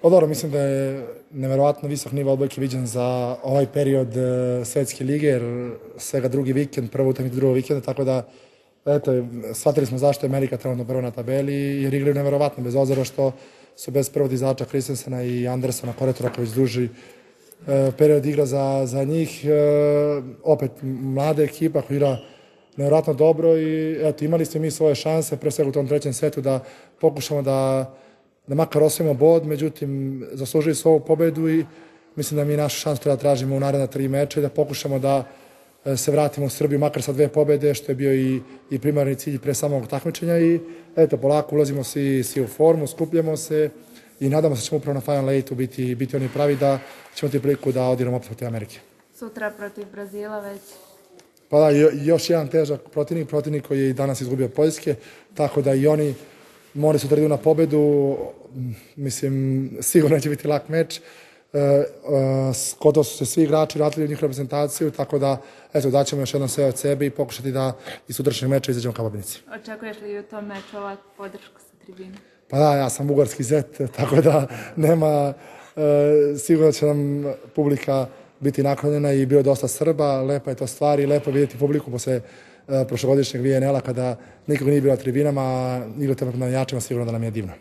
Dobro, mislim da je neverovatno visok nivo odbojke viđen za ovaj period svetske lige, jer svega drugi vikend, prva utakmica drugog vikenda, tako da eto, shvatili smo zašto je Amerika trenutno prva na tabeli, jer igraju neverovatno, bez obzira što su bez prvog izača Kristensena i Andersona, koretora koji duži period igra za njih. Opet, mlada ekipa koja igra neverovatno dobro i eto, imali ste mi svoje šanse, pre svega u tom trećem setu, da pokušamo da makar osvojimo bod, međutim, zaslužili su ovu pobedu i mislim da mi našu šansu treba tražimo u naredna 3 meča i da pokušamo da se vratimo u Srbiju makar sa 2 pobede, što je bio i primarni cilj pre samog takmičenja i eto, polako ulazimo svi u formu, skupljamo se i nadamo se da ćemo upravo na Final 8 biti oni pravi da ćemo ti priliku da odigramo opet protiv Amerike. Sutra protiv Brazila već. Pa da, još jedan težak protivnik koji je i danas izgubio od Poljske, tako da i oni moraju sutra idu na pobedu, mislim, sigurno neće biti lak meč. Gotovo su se svi igrači vratili u njihovu reprezentaciju, tako da, eto, daćemo još jednom sve od sebe i pokušati da iz sutrašnjeg meča izađemo ka pobednici. Očekuješ li u tom meču ovakvu podršku sa tribine? Pa da, ja sam bugarski zet, tako da nema, sigurno će nam publika biti naklonjena i bio dosta Srba, lepa je to stvar i lepo je vidjeti publiku posle prošlogodišnjeg VNL-a kada nikog nije bilo na tribinama, igrate na jačima, sigurno da nam je divno.